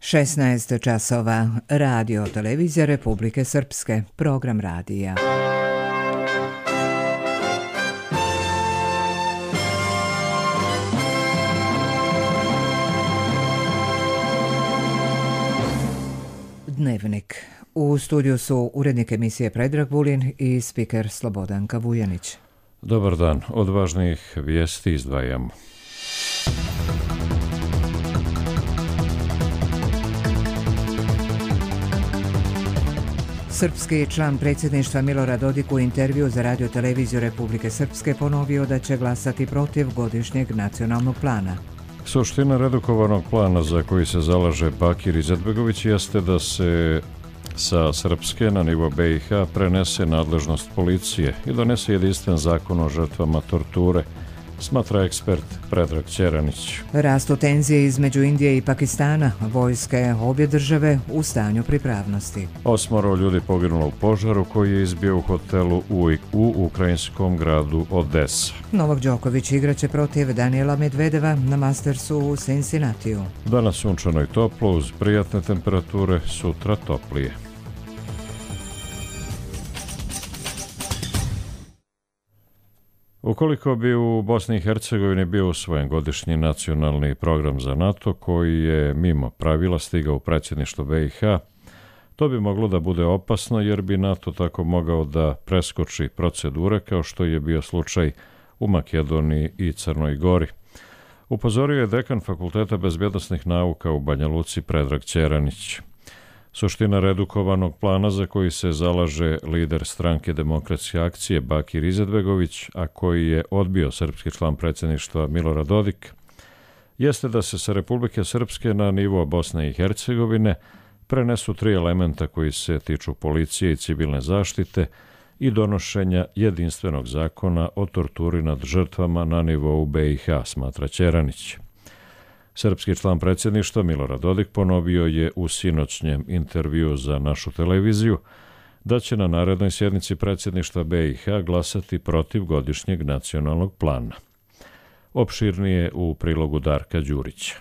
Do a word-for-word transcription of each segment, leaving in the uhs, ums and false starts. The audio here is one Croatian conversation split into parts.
šesnaest časova. Radio televizija Republike Srpske. Program radija. Dnevnik. U studiju su urednik emisije Predrag Vulin i spiker Slobodanka Vujanić. Dobar dan. Od važnijih vijesti izdvajamo. Srpski član predsjedništva Milorad Dodik u intervju za radio televiziju Republike Srpske ponovio da će glasati protiv godišnjeg nacionalnog plana. Suština redukovanog plana za koji se zalaže Bakir Izetbegović jeste da se sa srpske na nivo B i H prenese nadležnost policije i donese jedinstven zakon o žrtvama torture, smatra ekspert Predrag Ćeranić. Rastu tenzije između Indije i Pakistana, vojske obje države u stanju pripravnosti. Osmoro ljudi poginulo u požaru koji je izbio u hotelu u, u ukrajinskom gradu Odesa. Novak Đoković igraće protiv Danijela Medvedeva na Mastersu u Cincinnatiju. Danas sunčano i toplo uz prijatne temperature, sutra toplije. Ukoliko bi u Bosni i Hercegovini bio usvojen godišnji nacionalni program za NATO koji je mimo pravila stigao u predsjedništvo B i H, to bi moglo da bude opasno jer bi NATO tako mogao da preskoči procedure kao što je bio slučaj u Makedoniji i Crnoj Gori. Upozorio je dekan Fakulteta bezbjednosnih nauka u Banja Luci Predrag Ćeranić. Suština redukovanog plana za koji se zalaže lider stranke Demokratske akcije Bakir Izetbegović, a koji je odbio srpski član predsjedništva Milorad Dodik, jeste da se sa Republike Srpske na nivo Bosne i Hercegovine prenesu tri elementa koji se tiču policije i civilne zaštite i donošenja jedinstvenog zakona o torturi nad žrtvama na nivou B i H, smatra Ćeranić. Srpski član predsjedništva Milorad Dodik ponovio je u sinoćnjem intervjuu za našu televiziju da će na narednoj sjednici predsjedništva B i H glasati protiv godišnjeg nacionalnog plana. Opširnije u prilogu Darka Đurića.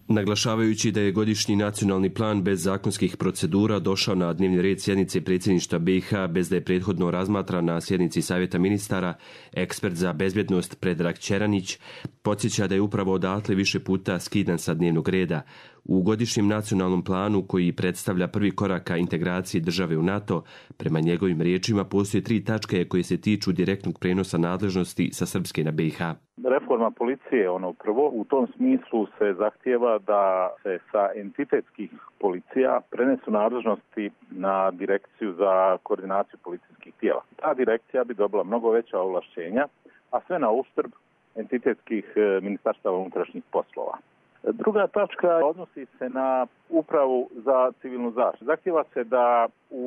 Naglašavajući da je godišnji nacionalni plan bez zakonskih procedura došao na dnevni red sjednice predsjedništva B i H bez da je prethodno razmatran na sjednici Savjeta ministara, ekspert za bezbjednost Predrag Ćeranić podsjeća da je upravo odatle više puta skidan sa dnevnog reda. U godišnjem nacionalnom planu koji predstavlja prvi korak ka integraciji države u NATO, prema njegovim riječima postoje tri tačke koje se tiču direktnog prenosa nadležnosti sa srpske na B i H. Reforma policije, ono prvo, u tom smislu se zahtijeva da se sa entitetskih policija prenesu nadležnosti na direkciju za koordinaciju policijskih tijela. Ta direkcija bi dobila mnogo veća ovlašćenja, a sve na uštrb entitetskih ministarstava unutrašnjih poslova. Druga tačka odnosi se na upravu za civilnu zaštitu. Zahtijeva se da u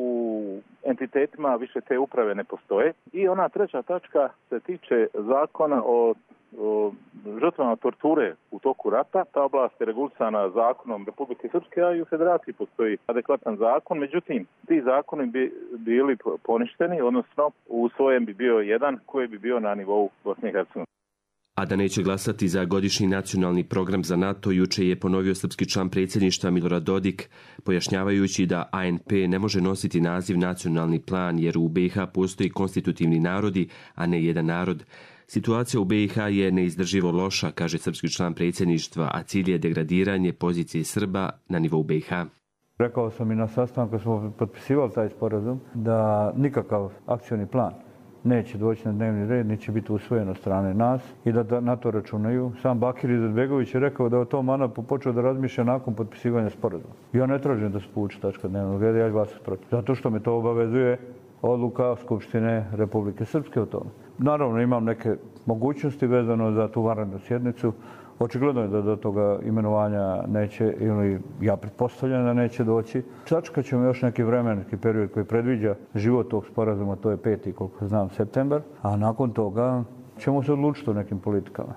entitetima više te uprave ne postoje. I ona treća tačka se tiče zakona o, o žrtvama torture u toku rata. Ta oblast je regulisana zakonom Republike Srpske, a i u Federaciji postoji adekvatan zakon. Međutim, ti zakoni bi bili poništeni, odnosno u svojem bi bio jedan koji bi bio na nivou Bosne i Hercegovine. A da neće glasati za godišnji nacionalni program za NATO, juče je ponovio srpski član predsjedništva Milorad Dodik, pojašnjavajući da A N P ne može nositi naziv nacionalni plan jer u B i H postoji konstitutivni narodi, a ne jedan narod. Situacija u B i H je neizdrživo loša, kaže srpski član predsjedništva, a cilj je degradiranje pozicije Srba na nivou B i H. Rekao sam i na sastanku kad smo potpisivali taj sporazum da nikakav akcioni plan neće doći na dnevni red, neće biti usvojen od strane nas i da na to računaju. Sam Bakir Izetbegović je rekao da je o tom ANAP-u počeo da razmišlja nakon potpisivanja sporazuma. Ja ne tražim da se povuče tačka dnevnog reda, ja glasam protiv. Zato što me to obavezuje odluka Skupštine Republike Srpske o tome. Naravno imam neke mogućnosti vezano za tu vanrednu sjednicu. Očigledno je da do toga imenovanja neće, ili ja pretpostavljam da neće doći. Sačekat ćemo još neki vremenski period koji predviđa život tog sporazuma, to je peti, koliko znam, septembar, a nakon toga ćemo se odlučiti o nekim politikama.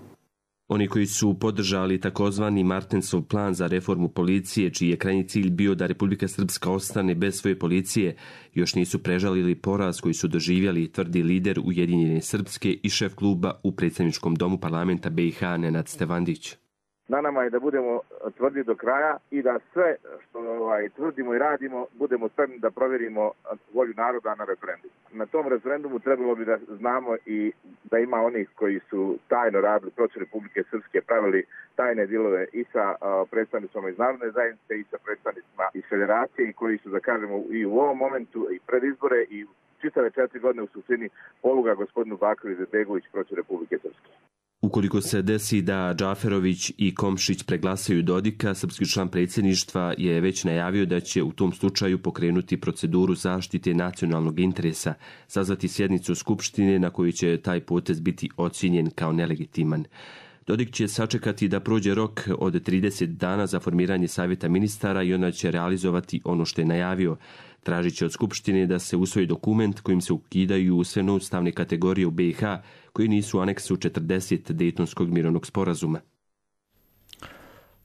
Oni koji su podržali takozvani Martensov plan za reformu policije, čiji je krajnji cilj bio da Republika Srpska ostane bez svoje policije, još nisu prežalili poraz koji su doživjeli, tvrdi lider Ujedinjene Srpske i šef kluba u predstavničkom domu parlamenta B i H Nenad Stevandić. Na nama je da budemo tvrdi do kraja i da sve što ovaj, tvrdimo i radimo budemo spremni da provjerimo volju naroda na referendumu. Na tom referendumu trebalo bi da znamo i da ima onih koji su tajno radili protiv Republike Srpske, pravili tajne dilove i sa uh, predstavnicima iz narodne zajednice i sa predstavnicima iz federacije i koji su, da kažemo, i u ovom momentu i pred izbore i čitave četiri godine u suštini poluga gospodinu Bakiru Izetbegović protiv Republike Srpske. Ukoliko se desi da Džaferović i Komšić preglasaju Dodika, srpski član predsjedništva je već najavio da će u tom slučaju pokrenuti proceduru zaštite nacionalnog interesa, sazvati sjednicu Skupštine na kojoj će taj potez biti ocijenjen kao nelegitiman. Dodik će sačekati da prođe rok od trideset dana za formiranje savjeta ministara i onda će realizovati ono što je najavio. Tražit će od Skupštine da se usvoji dokument kojim se ukidaju sve noustavne kategorije u B i H koji nisu u aneksu četrdeset Dejtonskog mirovnog sporazuma.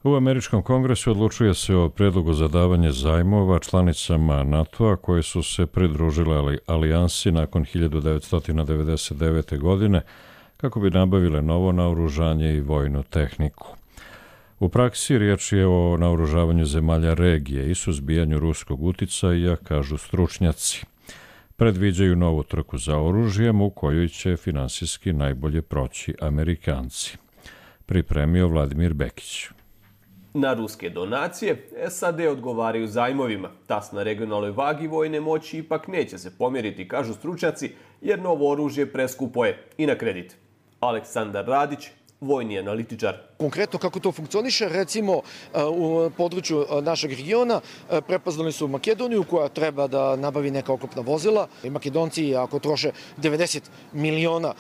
U Američkom kongresu odlučuje se o predlogu za davanje zajmova članicama NATO-a koje su se pridružile alijansi nakon hiljadu devetsto devedeset devete. godine kako bi nabavile novo naoružanje i vojnu tehniku. U praksi riječ je o naoružavanju zemalja regije i suzbijanju ruskog uticaja, kažu stručnjaci. Predviđaju novu trku za oružjem u kojoj će finansijski najbolje proći Amerikanci. Pripremio Vladimir Bekić. Na ruske donacije S A D odgovaraju zajmovima. Tas na regionalnoj vagi vojne moći ipak neće se pomjeriti, kažu stručnjaci, jer novo oružje preskupo je i na kredit. Aleksandar Radić, vojni analitičar. Konkretno kako to funkcioniše, recimo u području našeg regiona prepoznali su Makedoniju koja treba da nabavi neka oklopna vozila. I Makedonci ako troše devedeset miliona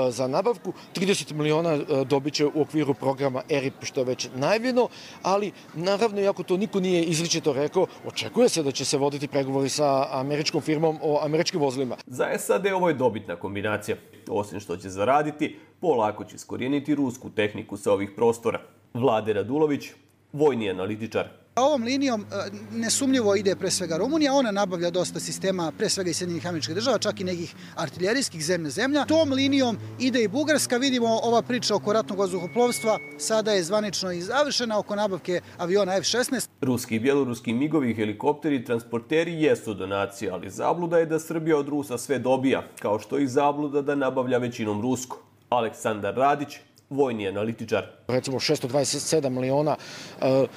za nabavku, trideset miliona dobit će u okviru programa E R I P što je već najavljeno, ali naravno iako to niko nije izričito rekao, očekuje se da će se voditi pregovori sa američkom firmom o američkim vozilima. Za S A D ovo je dobitna kombinacija. Osim što će zaraditi, polako će iskorijeniti rusku tehniku sa ovih prostora. Vlade Radulović, vojni analitičar. Ovom linijom nesumnjivo ide pre svega Rumunija, ona nabavlja dosta sistema, pre svega iz Sjedinjenih Američkih Država, čak i nekih artiljerijskih zemlja zemlja. Tom linijom ide i Bugarska, vidimo ova priča oko ratnog vazduhoplovstva, sada je zvanično i završena oko nabavke aviona F šesnaest. Ruski i bjeloruski migovi, helikopteri i transporteri jesu donacije, ali zabluda je da Srbija od Rusa sve dobija, kao što i zabluda da nabavlja većinom rusko. Aleksandar Radić, vojni analitičar. Recimo šesto dvadeset sedam miliona uh,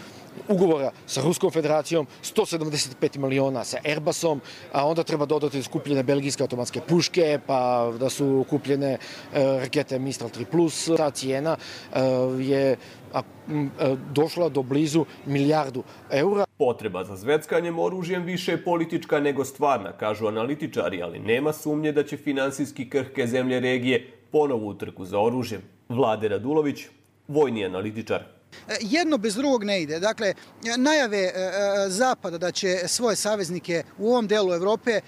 ugovora sa Ruskom federacijom, sto sedamdeset pet miliona sa Airbusom, a onda treba dodati skupljene belgijske automatske puške, pa da su kupljene uh, rakete Mistral tri plus. Ta cijena uh, je a, m, došla do blizu milijardu eura. Potreba za zveckanjem oružjem više je politička nego stvarna, kažu analitičari, ali nema sumnje da će finansijski krhke zemlje regije ponovu u trku za oružjem. Vlade Radulović, vojni analitičar. Jedno bez drugog ne ide. Dakle, najave Zapada da će svoje saveznike u ovom delu Evrope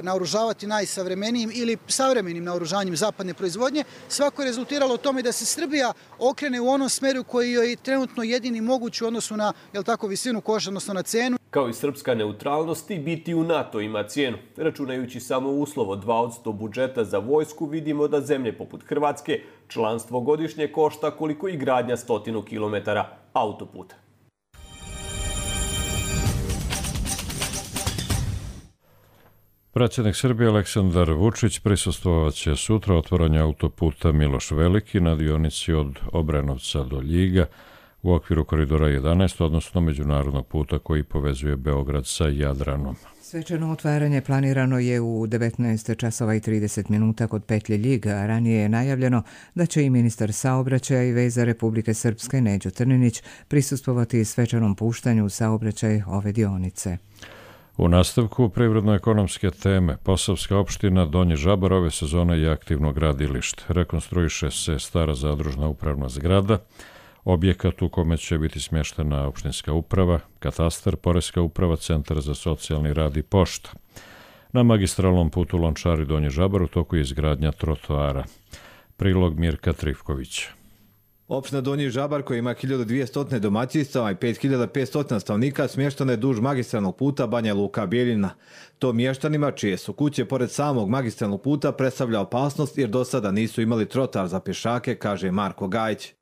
naoružavati najsavremenijim ili savremenim naoružanjem zapadne proizvodnje, svako je rezultiralo u tome da se Srbija okrene u onom smeru koji je trenutno jedini moguć u odnosu na, jel tako, visinu koša, odnosno na cenu. Kao i srpska neutralnost, i biti u NATO ima cijenu. Računajući samo uslov od dva posto budžeta za vojsku, vidimo da zemlje poput Hrvatske članstvo godišnje košta koliko i gradnja stotinu kilometara autoputa. Predsjednik Srbije Aleksandar Vučić prisustvovat će sutra otvaranje autoputa Miloš Veliki na dionici od Obrenovca do Ljiga u okviru koridora jedanaest, odnosno međunarodnog puta koji povezuje Beograd sa Jadranom. Svečano otvaranje planirano je u devetnaest časova i trideset minuta kod petlje Ljiga, a ranije je najavljeno da će i ministar saobraćaja i veza Republike Srpske Neđo Trninić prisustvovati svečanom puštanju u saobraćaj ove dionice. U nastavku privredno-ekonomske teme, Posavska opština Donji Žabar ove sezone je aktivno gradilište. Rekonstruiše se stara zadružna upravna zgrada, objekat u kome će biti smještena opštinska uprava, katastar, poreska uprava, centar za socijalni rad i pošta. Na magistralnom putu Lončari Donji Žabar u toku je izgradnja trotoara. Prilog Mirka Trifkovića. Opština Donji Žabar, koja ima hiljadu dvjesto domaćinstava i pet hiljada petsto stanovnika, smještana je duž magistralnog puta Banja Luka Bijeljina. To mještanima, čije su kuće pored samog magistralnog puta, predstavlja opasnost jer do sada nisu imali trotoar za pješake, kaže Marko Gajić.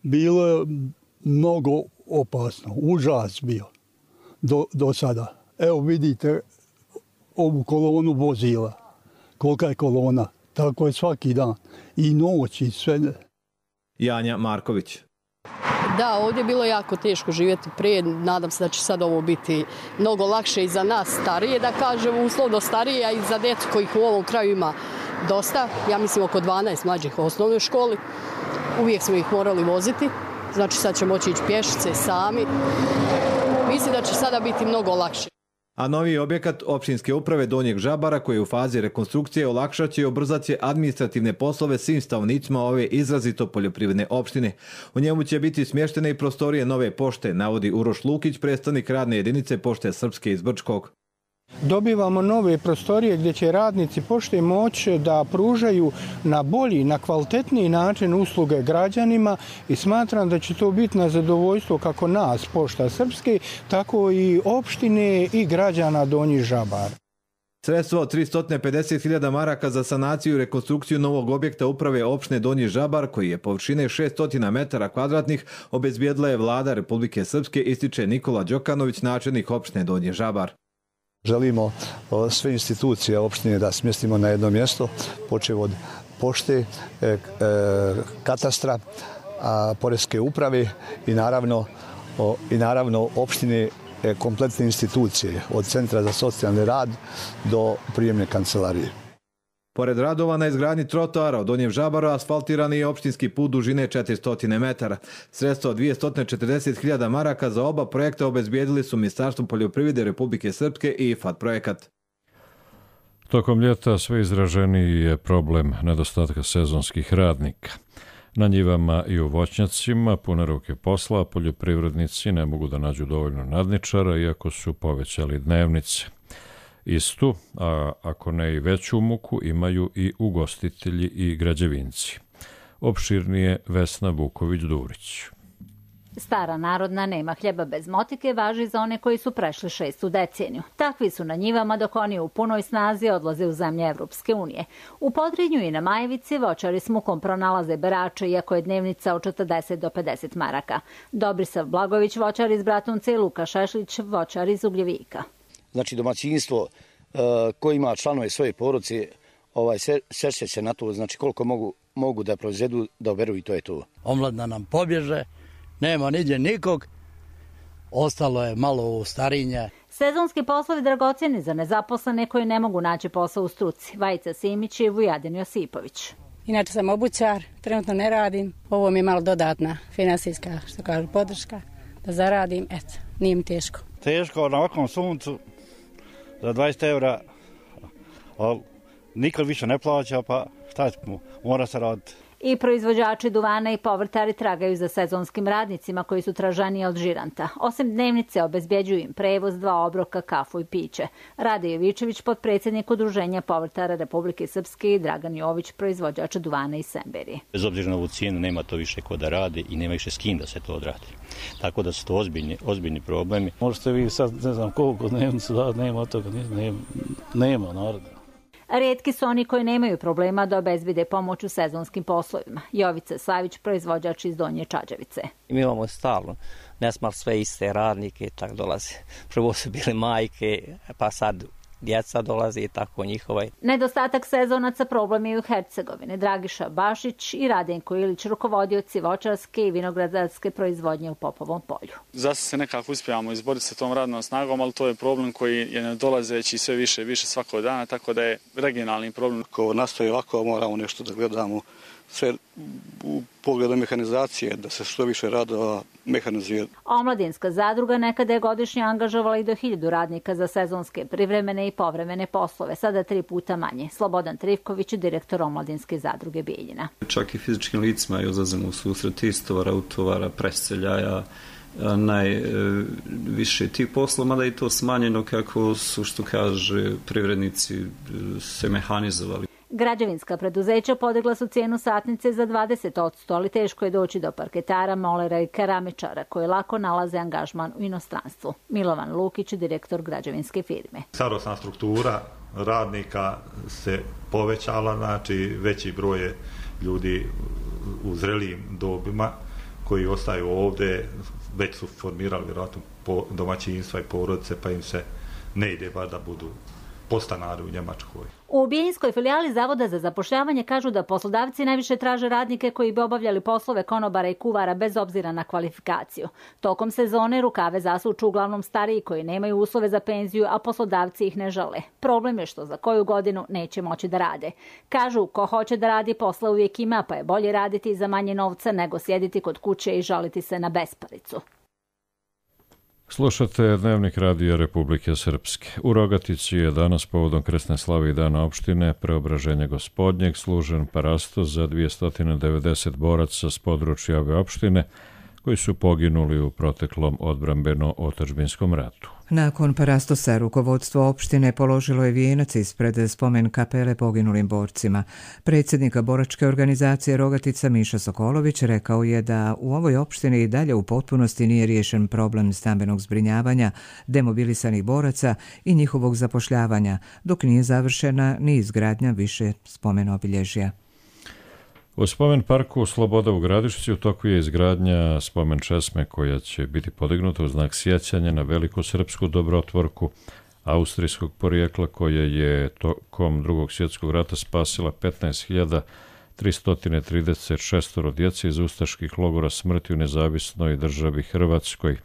Bilo je mnogo opasno, užas bio do, do sada. Evo vidite ovu kolonu vozila, kolika je kolona, tako je svaki dan i noć i sve. Janja Marković. Da, ovdje je bilo jako teško živjeti prije, nadam se da će sad ovo biti mnogo lakše i za nas starije, da kažem, uslovno starije, a i za djecu kojih u ovom kraju ima dosta, ja mislim oko dvanaest mlađih u osnovnoj školi, uvijek smo ih morali voziti, znači sad će moći ići pješice sami, mislim da će sada biti mnogo lakše. A novi objekat općinske uprave Donjeg Žabara, koji je u fazi rekonstrukcije, olakšat će i ubrzat će administrativne poslove svim stanovnicima ove izrazito poljoprivredne opštine. U njemu će biti smještene i prostorije nove pošte, navodi Uroš Lukić, predstavnik radne jedinice Pošte Srpske iz Brčkog. Dobivamo nove prostorije gdje će radnici pošte moći da pružaju na bolji, na kvalitetniji način usluge građanima i smatram da će to biti na zadovoljstvo kako nas, Pošta Srpske, tako i opštine i građana Donji Žabar. Sredstvo od tristo pedeset hiljada maraka za sanaciju i rekonstrukciju novog objekta uprave opštine Donji Žabar, koji je površine šessto metara kvadratnih, obezbijedila je vlada Republike Srpske, ističe Nikola Đokanović, načelnik opštine Donji Žabar. Želimo sve institucije opštine da smjestimo na jedno mjesto, počev od pošte, katastra, poreske uprave i naravno, i naravno opštine kompletne institucije, od Centra za socijalni rad do prijemne kancelarije. Pored radova na izgradnji trotoara od Donjem Žabaru asfaltiran je opštinski put dužine četiristo metara. Sredstvo od dvjesto četrdeset hiljada maraka za oba projekta obezbijedili su Ministarstvo poljoprivrede Republike Srpske i I F A D projekat. Tokom ljeta sve izraženiji je problem nedostatka sezonskih radnika. Na njivama i u voćnjacima pune ruke posla, poljoprivrednici ne mogu da nađu dovoljno nadničara, iako su povećali dnevnice. Istu, a ako ne i veću muku, imaju i ugostitelji i građevinci. Opširnije Vesna Vuković-Durić. Stara narodna nema hljeba bez motike važi za one koji su prešli šestu deceniju. Takvi su na njivama dok oni u punoj snazi odlaze u zemlje Evropske unije. U Podrinju i na Majevici voćari s mukom pronalaze berače, iako je dnevnica od četrdeset do pedeset maraka. Dobrisav Blagović, voćar iz Bratunca, i Luka Šešlić, voćar iz Ugljevika. Znači domaćinstvo uh, koji ima članove svoje porodice, ovaj, sešće se na to, znači koliko mogu, mogu da proizvedu, da oberu i to je to. Omladna nam pobježe, nema niđe nikog, ostalo je malo u starinje. Sezonski poslovi dragocjeni za nezaposlene koji ne mogu naći posao u struci. Vajica Simić i Vujadin Josipović. Inače sam obućar, trenutno ne radim. Ovo mi je malo dodatna finansijska, što kažu, podrška da zaradim. Eto, nije mi teško. Teško na ovakvom suncu za dvadeset eura, ali nikad više ne plaća, pa šta ćemo, mora se raditi. I proizvođači duvana i povrtari tragaju za sezonskim radnicima koji su tražaniji od žiranta. Osim dnevnice obezbjeđuju im prevoz, dva obroka, kafu i piće. Rade Jovičević, potpredsjednik Udruženja povrtara Republike Srpske, i Dragan Jović, proizvođač duvana iz Semberije. Bez obzira na ovu cijenu nema to više ko da radi i nema više s kim da se to odradi. Tako da su to ozbiljni, ozbiljni problemi. Možete vi sad, ne znam koliko dnevnicu da, nema od toga, nema, nema naroda. Rijetki su oni koji nemaju problema da obezbide pomoć u sezonskim poslovima. Jovica Savić, proizvođač iz Donje Čađavice. Mi imamo stalno, ne smar sve iste radnike i tako dolaze. Prvo su bile majke, pa sad djeca dolaze i tako njihova. Nedostatak sezonaca problem je u Hercegovini. Dragiša Bašić i Radenko Ilić, rukovodioci voćarske i vinogradarske proizvodnje u Popovom polju. Zase se nekako uspijamo izboriti sa tom radnom snagom, ali to je problem koji je nedolazeći sve više i više svakog dana, tako da je regionalni problem. Ako nastoji ovako, moramo nešto da gledamo sve u pogledu mehanizacije, da se što više radova mehanizuje. Omladinska zadruga nekada je godišnje angažovala i do hiljadu radnika za sezonske, privremene i povremene poslove, sada tri puta manje. Slobodan Trivković, direktor Omladinske zadruge Bijeljina. Čak i fizičkim licima izlazimo u susret istovara, utovara, preseljaja, najviše tih poslova, mada i to smanjeno kako su, što kaže, privrednici se mehanizovali. Građevinska preduzeća podigla su cijenu satnice za dvadeset posto, ali teško je doći do parketara, molera i keramičara koji lako nalaze angažman u inostranstvu. Milovan Lukić, direktor građevinske firme. Starosna struktura radnika se povećala, znači veći broj ljudi u zrelijim dobima koji ostaju ovdje, već su formirali vjerojatno domaćinstva i porodice, pa im se ne ide bar da budu podstanari u Njemačkoj. U Bijeljinskoj filijali Zavoda za zapošljavanje kažu da poslodavci najviše traže radnike koji bi obavljali poslove konobara i kuvara bez obzira na kvalifikaciju. Tokom sezone rukave zasuču uglavnom stariji koji nemaju uslove za penziju, a poslodavci ih ne žele. Problem je što za koju godinu neće moći da rade. Kažu, ko hoće da radi posla uvijek ima, pa je bolje raditi za manje novca nego sjediti kod kuće i žaliti se na besparicu. Slušate Dnevnik radija Republike Srpske. U Rogatici je danas povodom krsne slave i dana opštine Preobraženja Gospodnjeg služen parastos za dvjesto devedeset boraca s područja ove opštine koji su poginuli u proteklom odbrambeno-otadžbinskom ratu. Nakon parastosa rukovodstvo opštine položilo je vijenac ispred spomen kapele poginulim borcima. Predsjednika boračke organizacije Rogatica Miša Sokolović rekao je da u ovoj opštini i dalje u potpunosti nije riješen problem stambenog zbrinjavanja demobilisanih boraca i njihovog zapošljavanja, dok nije završena ni izgradnja više spomen obilježja. U spomen parku Sloboda u Gradišci u toku je izgradnja spomen česme koja će biti podignuta u znak sjećanja na veliku srpsku dobrotvorku austrijskog porijekla koja je tokom drugog svjetskog rata spasila petnaest hiljada tristo trideset šest djece iz ustaških logora smrti u nezavisnoj državi Hrvatskoj.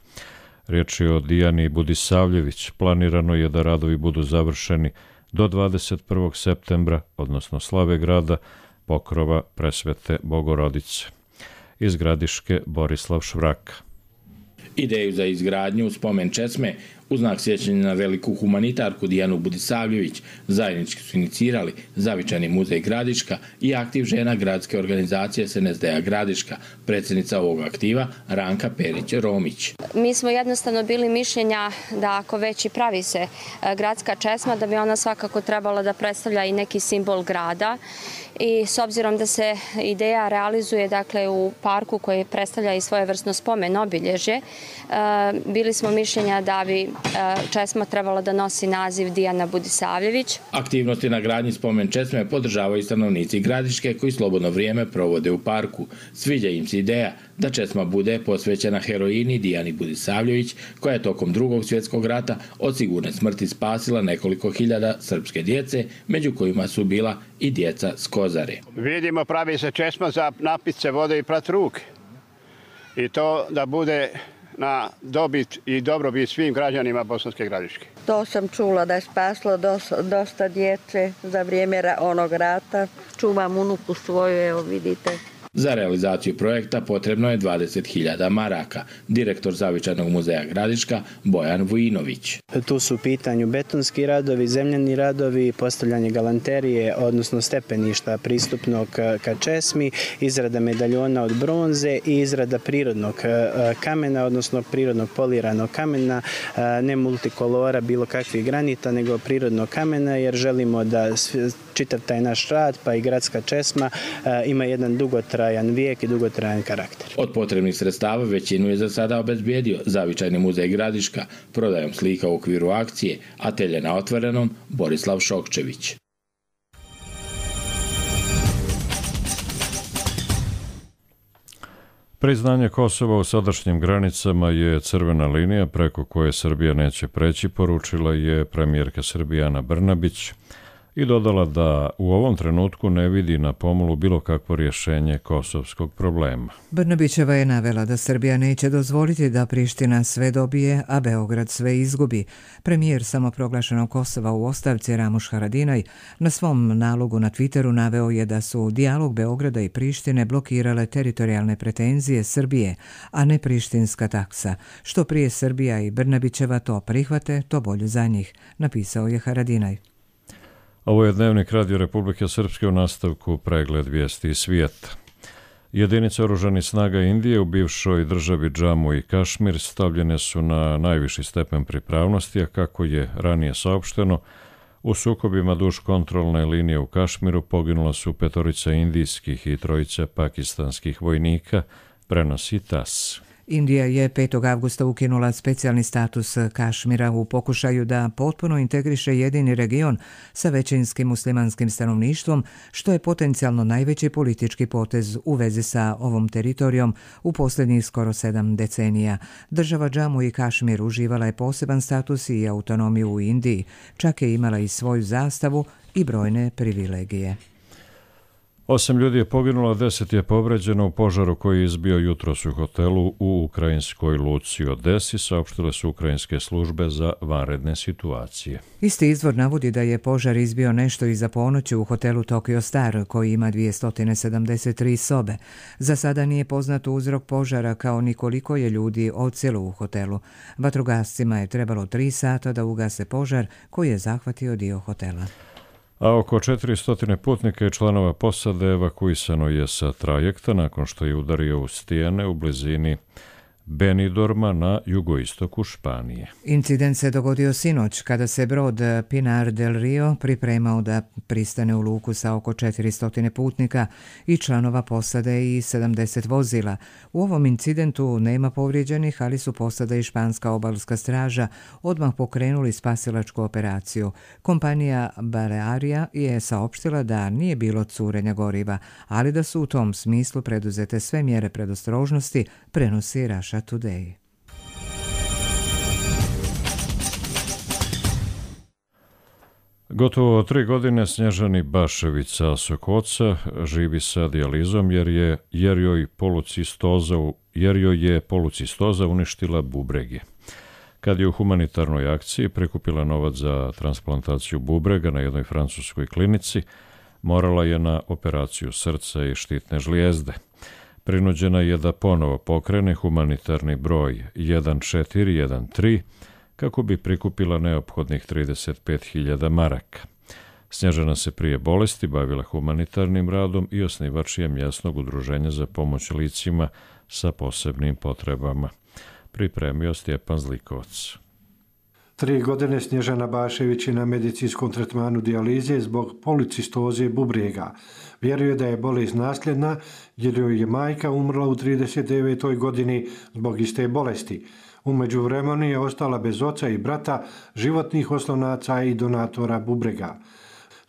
Riječ je o Dijani Budisavljević. Planirano je da radovi budu završeni do dvadeset prvog septembra, odnosno slave grada, pokrova Presvete Bogorodice. Iz Gradiške Borislav Švrak. Ideju za izgradnju spomen česme u znak sjećanja na veliku humanitarku Dijanu Budisavljević zajednički su inicirali Zavičajni muzej Gradiška i aktiv žena gradske organizacije S N S D-a Gradiška, predsjednica ovog aktiva Ranka Perić-Romić. Mi smo jednostavno bili mišljenja da ako već i pravi se gradska česma, da bi ona svakako trebala da predstavlja i neki simbol grada. I s obzirom da se ideja realizuje dakle u parku koji predstavlja i svojevrsno spomen obilježje, bili smo mišljenja da bi česma trebala da nosi naziv Dijana Budisavljević. Aktivnosti na gradnji spomen česme podržavaju stanovnici Gradiške koji slobodno vrijeme provode u parku. Sviđa im se ideja da česma bude posvećena heroini Dijani Budisavljević koja je tokom drugog svjetskog rata od sigurne smrti spasila nekoliko hiljada srpske djece, među kojima su bila i djeca s Kozare. Vidimo, pravi se česma za napit se vode i prat ruke. I to da bude na dobit i dobrobit svim građanima Bosanske Gradiške. To sam čula da je spaslo dosta djece za vrijeme onog rata. Čuvam unuku svoju, evo vidite. Za realizaciju projekta potrebno je dvadeset hiljada maraka. Direktor Zavičajnog muzeja Gradiška Bojan Vujinović. Tu su u pitanju betonski radovi, zemljani radovi, postavljanje galanterije, odnosno stepeništa pristupnog ka česmi, izrada medaljona od bronze i izrada prirodnog kamena, odnosno prirodnog poliranog kamena, ne multikolora, bilo kakvih granita, nego prirodnog kamena, jer želimo da čitav taj naš rad, pa i gradska česma, ima jedan dugotrajan vijek i dugotrajan karakter. Od potrebnih sredstava većinu je za sada obezbijedio Zavičajni muzej Gradiška prodajom slika u okviru akcije Atelje na otvorenom Borislav Šokčević. Priznanje Kosova u sadašnjim granicama je crvena linija preko koje Srbija neće preći, poručila je premijerka Srbije Ana Brnabić i dodala da u ovom trenutku ne vidi na pomolu bilo kakvo rješenje kosovskog problema. Brnabićeva je navela da Srbija neće dozvoliti da Priština sve dobije, a Beograd sve izgubi. Premijer samoproglašenog Kosova u ostavci Ramuš Haradinaj na svom nalogu na Twitteru naveo je da su dijalog Beograda i Prištine blokirale teritorijalne pretenzije Srbije, a ne prištinska taksa. Što prije Srbija i Brnabićeva to prihvate, to bolje za njih, napisao je Haradinaj. Ovo je Dnevnik Radio Republike Srpske, u nastavku pregled vijesti iz svijeta. Jedinice oružanih snaga Indije u bivšoj državi Džamu i Kašmir stavljene su na najviši stepen pripravnosti, a kako je ranije saopšteno, u sukobima duž kontrolne linije u Kašmiru poginula su petorica indijskih i trojica pakistanskih vojnika, prenosi T A S. Indija je petog avgusta ukinula specijalni status Kašmira u pokušaju da potpuno integriše jedini region sa većinskim muslimanskim stanovništvom, što je potencijalno najveći politički potez u vezi sa ovom teritorijom u posljednjih skoro sedam decenija. Država Džamu i Kašmir uživala je poseban status i autonomiju u Indiji, čak je imala i svoju zastavu i brojne privilegije. Osam ljudi je poginulo, deset je povređeno u požaru koji je izbio jutros u hotelu u ukrajinskoj luci Odesi, saopštile su ukrajinske službe za vanredne situacije. Isti izvor navodi da je požar izbio nešto iza ponoći u hotelu Tokyo Star, koji ima dvjesto sedamdeset tri sobe. Za sada nije poznat uzrok požara, kao ni koliko je ljudi odsjelo u hotelu. Vatrogascima je trebalo tri sata da ugase požar koji je zahvatio dio hotela. A oko četiristo putnika i članova posade evakuisano je sa trajekta nakon što je udario u stijene u blizini Benidorma na jugoistoku Španije. Incident se dogodio sinoć kada se brod Pinar del Rio pripremao da pristane u luku sa oko četiristo putnika i članova posade i sedamdeset vozila. U ovom incidentu nema povrijeđenih, ali su posada i španska obalska straža odmah pokrenuli spasilačku operaciju. Kompanija Balearia je saopštila da nije bilo curenja goriva, ali da su u tom smislu preduzete sve mjere predostrožnosti, prenosi Russia Today. Gotovo tri godine Snježani Bašević sa Sokoca živi sa dijalizom jer je jer joj polucistoza jer joj je polucistoza uništila bubrege. Kad je u humanitarnoj akciji prikupila novac za transplantaciju bubrega na jednoj francuskoj klinici, morala je na operaciju srca i štitne žlijezde. Prinuđena je da ponovo pokrene humanitarni broj jedan četiri jedan tri kako bi prikupila neophodnih trideset pet hiljada maraka. Snježana se prije bolesti bavila humanitarnim radom i osnivač je mjesnog udruženja za pomoć licima sa posebnim potrebama. Pripremio Stjepan Zlikovac. Tri godine Snježana Bašević je na medicinskom tretmanu dijalize zbog policistoze bubrega. Vjeruje da je bolest nasljedna jer joj je majka umrla u trideset devetoj godini zbog iste bolesti. U međuvremenu je ostala bez oca i brata, životnih oslonaca i donatora bubrega.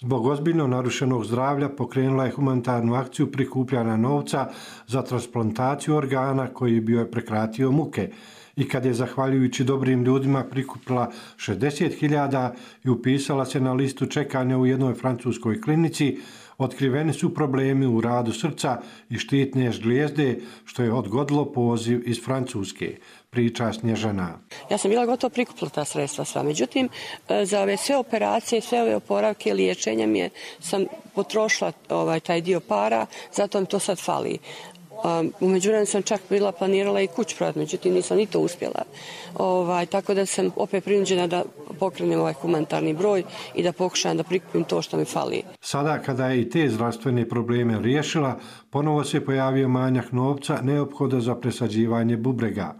Zbog ozbiljno narušenog zdravlja pokrenula je humanitarnu akciju prikupljanja novca za transplantaciju organa koji bi joj prekratio muke. I kad je, zahvaljujući dobrim ljudima, prikupila šezdeset hiljada i upisala se na listu čekanja u jednoj francuskoj klinici, otkriveni su problemi u radu srca i štitne žlijezde, što je odgodilo poziv iz Francuske, priča Snježana. Ja sam bila gotovo prikupila ta sredstva sva, međutim za ove sve operacije, sve ove oporavke, liječenja mi je, sam potrošila ovaj, taj dio para, zato mi to sad fali. Um, u međuvremenu sam čak bila planirala i kuć prodati, međutim nisam ni to uspjela. Ovaj, tako da sam opet prinuđena da pokrenem ovaj humanitarni broj i da pokušam da prikupim to što mi fali. Sada kada je i te zdravstvene probleme riješila, ponovo se pojavio manjak novca neophoda za presađivanje bubrega.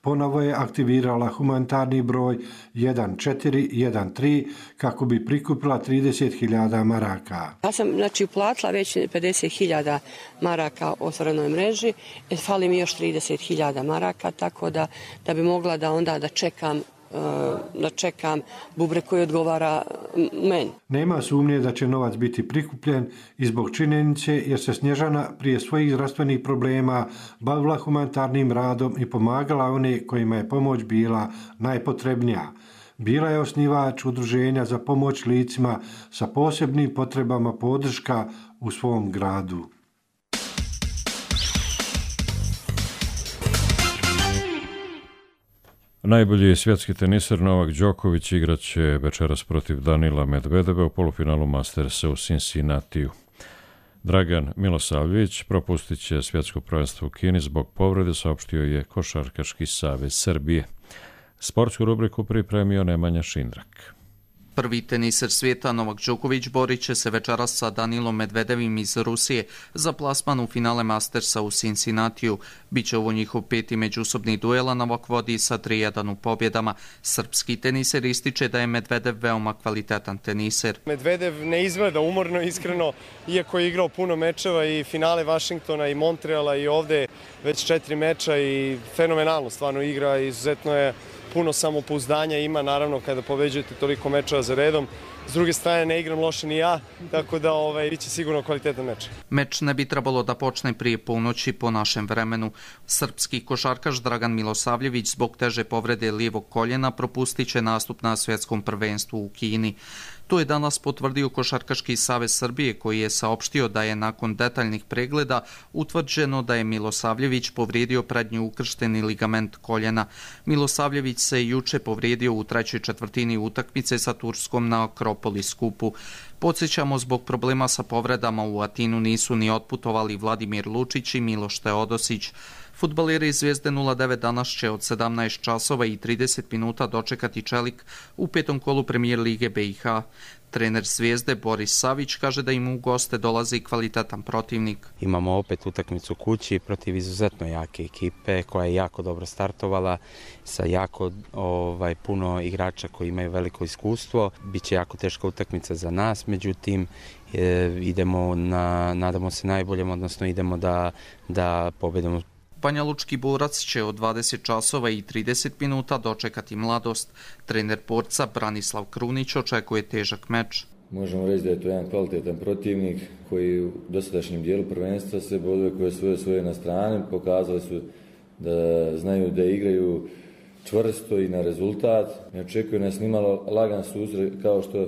Ponovo je aktivirala humanitarni broj jedan četiri jedan tri kako bi prikupila trideset hiljada maraka. Ja sam znači uplatila već pedeset hiljada maraka u otvorenoj mreži, fali mi još trideset hiljada maraka, tako da, da bi mogla da onda da čekam da čekam bubreg koji odgovara meni. Nema sumnje da će novac biti prikupljen i zbog činjenice jer se Snježana prije svojih zdravstvenih problema bavila humanitarnim radom i pomagala one kojima je pomoć bila najpotrebnija. Bila je osnivač udruženja za pomoć licima sa posebnim potrebama podrška u svom gradu. Najbolji svjetski teniser Novak Đoković igraće večeras protiv Danila Medvedeva u polufinalu Mastersa u Cincinnatiju. Dragan Milosavljević propustit će svjetsko prvenstvo u Kini zbog povrede, saopštio je Košarkaški savez Srbije. Sportsku rubriku pripremio Nemanja Šindrak. Prvi teniser svijeta Novak Đoković borit će se večeras sa Danilom Medvedevim iz Rusije za plasman u finale Mastersa u Cincinnatiju. Biće ovo njihov peti međusobni duel, a Novak vodi sa tri jedan u pobjedama. Srpski teniser ističe da je Medvedev veoma kvalitetan teniser. Medvedev ne izgleda umorno, iskreno, iako je igrao puno mečeva i finale Vašingtona i Montreala i ovde već četiri meča i fenomenalno stvarno igra, izuzetno je puno samopouzdanja ima, naravno, kada pobeđujete toliko mečeva za redom. S druge strane, ne igram loše ni ja, tako da ovaj, bit će sigurno kvalitetan meč. Meč ne bi trebalo da počne prije ponoći po našem vremenu. Srpski košarkaš Dragan Milosavljević zbog teže povrede lijevog koljena propustit će nastup na svjetskom prvenstvu u Kini. To je danas potvrdio Košarkaški savez Srbije, koji je saopštio da je nakon detaljnih pregleda utvrđeno da je Milosavljević povrijedio prednji ukršteni ligament koljena. Milosavljević se juče povrijedio u trećoj četvrtini utakmice sa Turskom na Akropolis kupu. Podsjećamo, zbog problema sa povredama u Atinu nisu ni otputovali Vladimir Lučić i Miloš Teodosić. Fudbaleri Zvijezde nula devet danas će od sedamnaest časova i trideset minuta dočekati Čelik u petom kolu Premijer Lige B i H. Trener Zvijezde Boris Savić kaže da im u goste dolazi kvalitetan protivnik. Imamo opet utakmicu kući protiv izuzetno jake ekipe koja je jako dobro startovala sa jako ovaj, puno igrača koji imaju veliko iskustvo. Biće jako teška utakmica za nas, međutim e, idemo na, nadamo se najboljem, odnosno idemo da, da pobedimo. Banja Lučki borac će od dvadeset časova i trideset minuta dočekati Mladost. Trener borca Branislav Krunić očekuje težak meč. Možemo reći da je to jedan kvalitetan protivnik koji u dosadašnjem dijelu prvenstva se bodove koje svoje svoje na strani pokazali su da znaju da igraju čvrsto i na rezultat. Ne očekuje nas nimalo lagan susret kao što e,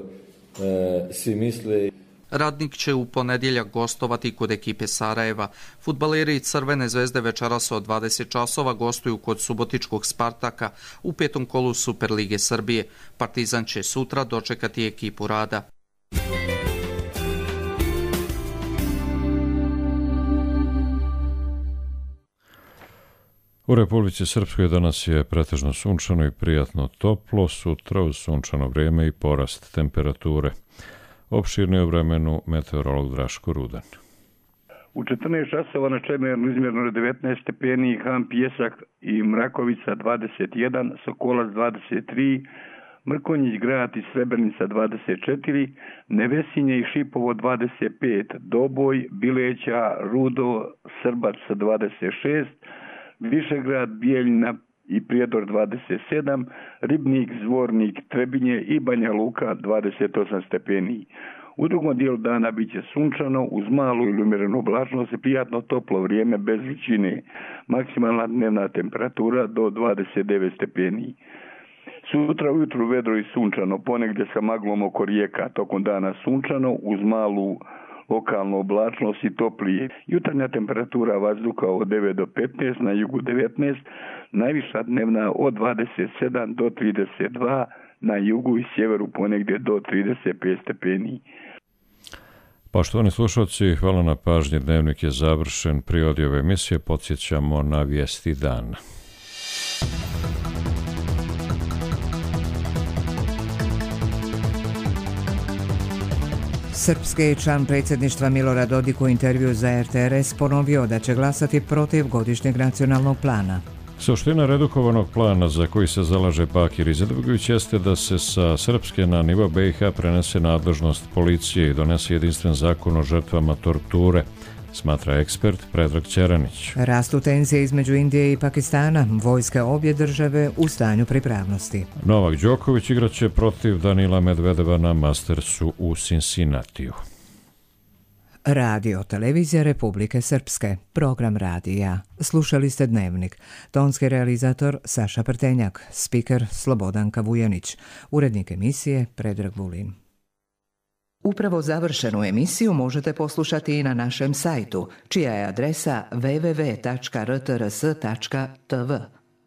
svi misle. Radnik će u ponedjeljak gostovati kod ekipe Sarajeva. Fudbaleri Crvene zvezde večeras od dvadeset časova gostuju kod subotičkog Spartaka u petom kolu Superlige Srbije. Partizan će sutra dočekati ekipu Rada. U Republici Srpskoj danas je pretežno sunčano i prijatno toplo, sutra uz sunčano vrijeme i porast temperature. Opširni o vremenu meteorolog Draško Rudan. U četrnaest časova na Čemernu izmjerno devetnaest stepeni, Ham Pjesak i Mrakovica dvadeset jedan, Sokolac dvadeset tri, Mrkonjić Grad i Srebrenica dvadeset četiri, Nevesinje i Šipovo dvadeset pet, Doboj, Bileća, Rudo, Srbac dvadeset šest, Višegrad, Bijeljina i Prijedor dvadeset sedam, Ribnik, Zvornik, Trebinje i Banja Luka dvadeset osam stepeni. U drugom dijelu dana bit će sunčano, uz malu ili umjerenu oblačnost i prijatno toplo vrijeme bez vrućine. Maksimalna dnevna temperatura do dvadeset devet stepeni. Sutra ujutru vedro i sunčano, ponegdje sa maglom oko rijeka, tokom dana sunčano, uz malu lokalnu oblačnost i toplije. Jutarnja temperatura vazduha od devet do petnaest, na jugu devetnaest, najviša dnevna od dvadeset sedam do trideset dva, na jugu i sjeveru ponegdje do trideset pet stepeni. Poštovani slušalci, hvala na pažnji. Dnevnik je završen. Pri ove emisije podsjećamo na vijesti dana. Srpski član predsjedništva Milorad Dodik u intervju za R T R S ponovio da će glasati protiv godišnjeg nacionalnog plana. Suština redukovanog plana za koji se zalaže Bakir Izetbegović jeste da se sa srpske na nivo B i H prenese nadležnost policije i donese jedinstven zakon o žrtvama torture, smatra ekspert Predrag Ćeranić. Rastu tenzije između Indije i Pakistana, vojske obje države u stanju pripravnosti. Novak Đoković igraće protiv Danila Medvedeva na Mastersu u Cincinnatiju. Radio Televizija Republike Srpske, program radija. Slušali ste Dnevnik. Tonski realizator Saša Prtenjak, spiker Slobodanka Vujanić, urednik emisije Predrag Vulin. Upravo završenu emisiju možete poslušati i na našem sajtu, čija je adresa w w w tačka r t r s tačka t v.